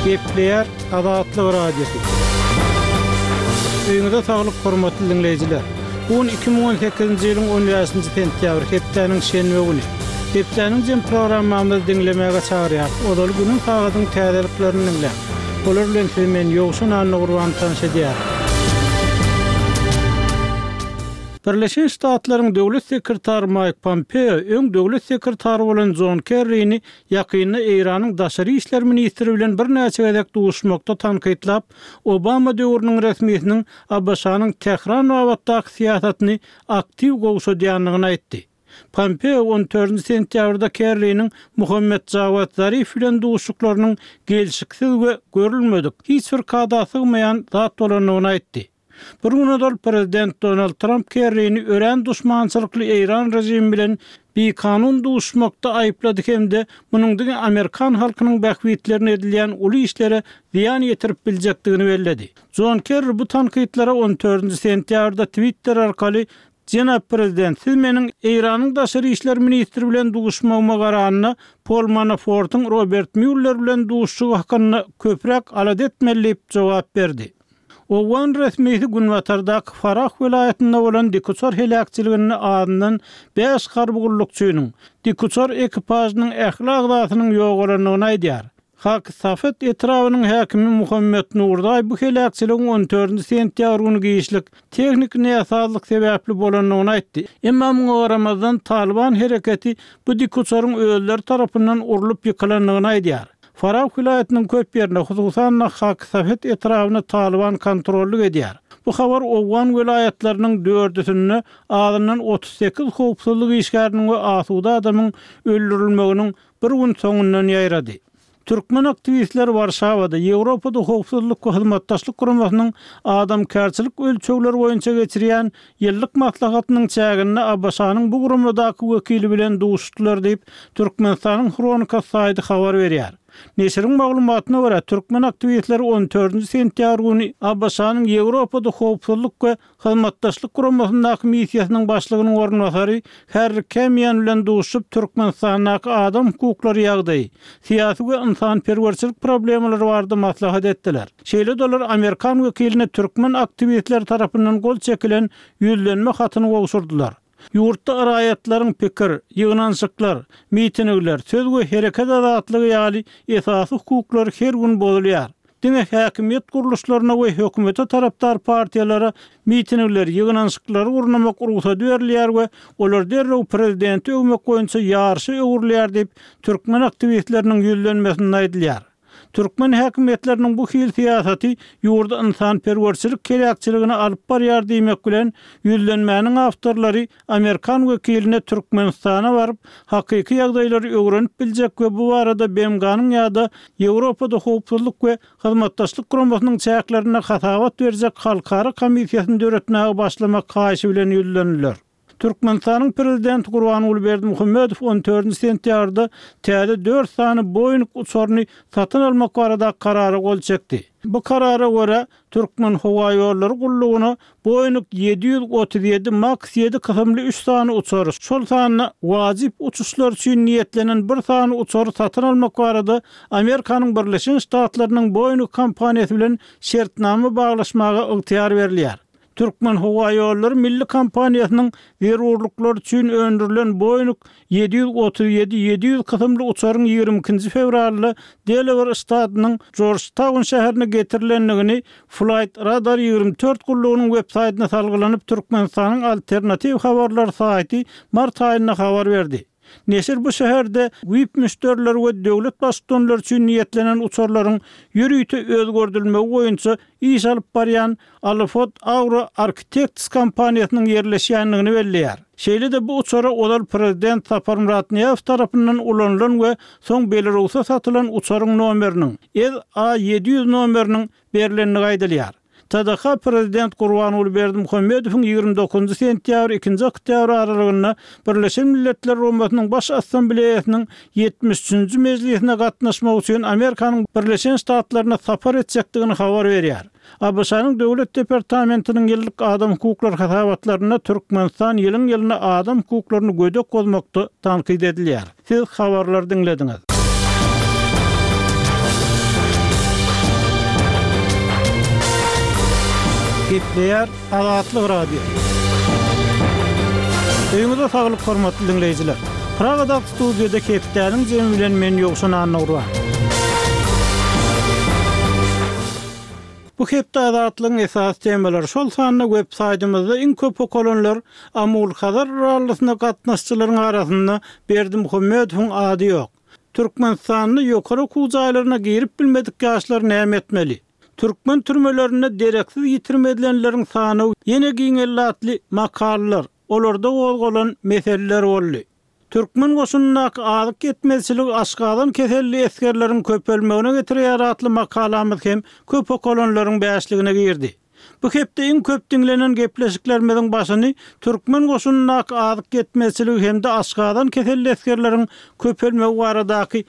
Gepleýär Azatlyk Radiosy. Öýüňize saglyk hormatly diňleýjiler. Bu gün 2018-nji ýylyň 15-nji sentýabry, hepdäniň şenbe güni. Hepdäniň jem programmamyzy diňlemäge çagyrýarys. Ozaly günüň sagadyň täzeliklerini diňläň. Olar bilen sizi men Ýowşan Annagurban tanyş edýärin. Birleşen Ştatlaryň Döwlet sekretary Maýk Pompeo öň döwlet sekretary bolan Jon Kerrini ýakynda Eýranyň daşary işler ministri bilen birnäçe gezek duşuşmakda tankytlap, Obama döwrüniň resmisiniň ABŞ-nyň Tähran babatdaky syýasatyny aktiw gowşadýandygyny aýtdy. Pompeo on dördünji sentýabrda Kerriniň Muhammet Jawad Zarif bilen duşuşyklarynyň gelşiksiz we görülmedik, hiç bir kada sygmaýan zat bolandygyny aýtdy. Bir gün ozal prezident Donald Tramp Kerrini örän duşmançylykly eýran režimi bilen bikanun duşuşmakda aýyplady hem-de munuň diňe amerikan halkynyň bähbitlerine edilýän uly işlere zyýan ýetirip biljekdigini belledi. Jon Kerri bu tankytlara on dördünji sentýabrda Twitter arkaly Jenap prezident, siz meniň Eýranyň daşary işler ministri bilen duşmagyma garanda, Pol Manafortyň Robert Mýuller bilen duşuşygy hakynda köpräk alada etmeli diýip jogap berdi. Owgan resmisi günbatardaky Farah welaýatynda bolan dikuçar heläkçiliginde azyndan bäş harby gullukçynyň, dikuçar ekipažynyň ähli agzasynyň ýogalandygyny aýdýar. Hak Safet etrabynyň häkimi Muhammet Nurzaý bu heläkçiligiň on dördünji sentýabr güni giçlik, tehniki näsazlyk sebäpli bolandygyny aýtdy. Emma muňa garamazdan, Talyban hereketi bu dikuçaryň özleri tarapyndan urlup ýykylandygyny aýdýar. Farah welaýatynyň köp ýerine, hususan-da Hak-Safet etrabyna Talyban kontrollyk edýär. Bu habar owgan welaýatlarynyň dördüsinde azyndan 38 howpsuzlyk işgäriniň we asuda adamyň öldürilmeginiň bir gün soňundan ýaýrady. Türkmen aktiwistleri Warşawada Ýewropada Howpsuzlyk we Hyzmatdaşlyk Guramasynyň adamkärçilik ölçegleri boýunça geçirýän ýyllyk maslahatynyň çäginde ABŞ-nyň bu guramadaky wekili bilen duşuşdylar diýip, Türkmenistanyň Hronikasy saýty habar berýär. Neşiriň maglumatyna görä, türkmen aktiwistleri on dördünji sentýabr güni ABŞ-nyň Ýewropada Howpsuzlyk we Hyzmatdaşlyk Guramasyndaky missiýasynyň başlygynyň orunbasary Harri Kemian bilen duşuşyp, Türkmenistandaky adam hukuklary ýagdaýy, syýasy we ynsanperwerçilik problemalary barada maslahat etdiler. Şeýle-de olar amerikan wekiline türkmen aktiwistleri tarapyndan gol çekilen ýüzlenme hatyny gowşurdylar. Ýurtda raýatlaryň pikir, ýygnanyşyklar, mitingler, söz we hereket azatlygy ýaly esasy hukuklary her gün bozulýar. Diňe häkimiýet gurluşlaryna we hökümete tarapdar partiýalara mitingleri, ýygnanyşyklary gurnamak rugsady berilýär we olar derrew prezidenti öwmek boýunça ýaryşa öwrülýär diýip, türkmen aktiwistleriniň ýüzlenmesinde aýdylýar. Türkmen häkimiýetleriniň bu hili syýasaty ýurdy ynsanperwerçilik heläkçiligine alyp barýar diýmek bilen, ýüzlenmäniň awtorlary amerikan wekiline Türkmenistana baryp, hakyky ýagdaýlary öwrenip biljek we bu barada BMG-niň ýa-da Ýewropada Howpsuzlyk we Hyzmatdaşlyk Guramasynyň çäklerinde hasabat berjek halkara komissiýasyny döretmäge başlamak haýyşy bilen ýüzlendiler. Türkmenistanyň Prezidenti Gurbanguly Berdimuhamedow on dördünji sentýabrda täze dört sany Boeing uçaryny satyn almak baradaky karara gol çekdi. Bu karara görä, Türkmenhowaýollary gullugyna Boeing 737 Max ýedi kysymly üç sany uçary, şol sanda wajyp uçuşlar üçin niýetlenen bir sany uçary satyn almak barada Amerikanyň Birleşen Ştatlarynyň Boeing kompaniýasy bilen şertnama baglaşmaga ygtyýar berilýär. Türkmenhowaýollary milli kompaniýasynyň zerurlyklary üçin öndürilen Boeing 737 700 kysymly uçaryň 22-nji fewralda Delawer ştatynyň Jorjtaun şäherine getirilendigini Flight Radar 24 gullugynyň websaýtyna salgylanyp Türkmenistanyň alternatiw habarlar saýty mart aýynda habar berdi. Neşir bu şäherde VIP müşderiler we döwlet baştutanlary üçin niýetlenen uçarlaryň ýörite özgerdilmegi boýunça iş alyp barýan Alifot Aura Architects kompaniýasynyň ýerleşýändigini belleýär. Şeýle-de bu uçara ozal prezident Saparmyrat Nyýazow tarapyndan ulanylan we soň Belarusa satylan uçaryň nomeriniň, SA 700 nomeriniň berlendigi aýdylýar. TDH prezident Gurbanguly Berdimuhamedowyň 29 sentýabr, ikinji oktýabr aralygynda Birleşen Milletler Guramasynyň Baş Assambleýasynyň 73-nji mejlisine gatnaşmak üçin Amerikanyň Birleşen Ştatlaryna sapar etjekdigini habar berýär. ABŞ-nyň Döwlet departamentiniň ýyllyk adam hukuklary hasabatlarynda Türkmenistan ýylyň-ýylyna adam hukuklaryny gödek bozmakda tankyt edilýär. Siz habarlary diňlediňiz. Gepleýär Azatlyk Radiosy. Öýüňize saglyk hormatly diňleýjiler. Pragadaky studiýada hepdäniň jemi bilen men Ýowşan Annagurban. Bu hepde Azatlygyň esasy temalary, şol sanda web saýtymyzda iň köp okalanlar Amul-Hazar rallysyna gatnaşyjylaryň arasynda Berdimuhamedowyň ady ýok. Türkmenistanda ýokary okuw jaýlaryna girip bilmedik ýaşlar näme etmeli? Türkmen türmelerinde dereksiz ýitirim edilenleriň sanawy ýene giňeldi atly makalalar, olarda gozgalan meseleler boldy. Türkmen goşunyndaky azyk ýetmezçiligi aşgazan keselli esgerleriň köpelmegine getirýär atly makalamyz hem köp okalanlaryň bäşligine girdi. Bu hepde iň köp diňlenen gepleşiklerimiziň başyny türkmen goşunyndaky azyk ýetmezçiligi hem-de aşgazan keselli esgerleriň köpelmegi baradaky.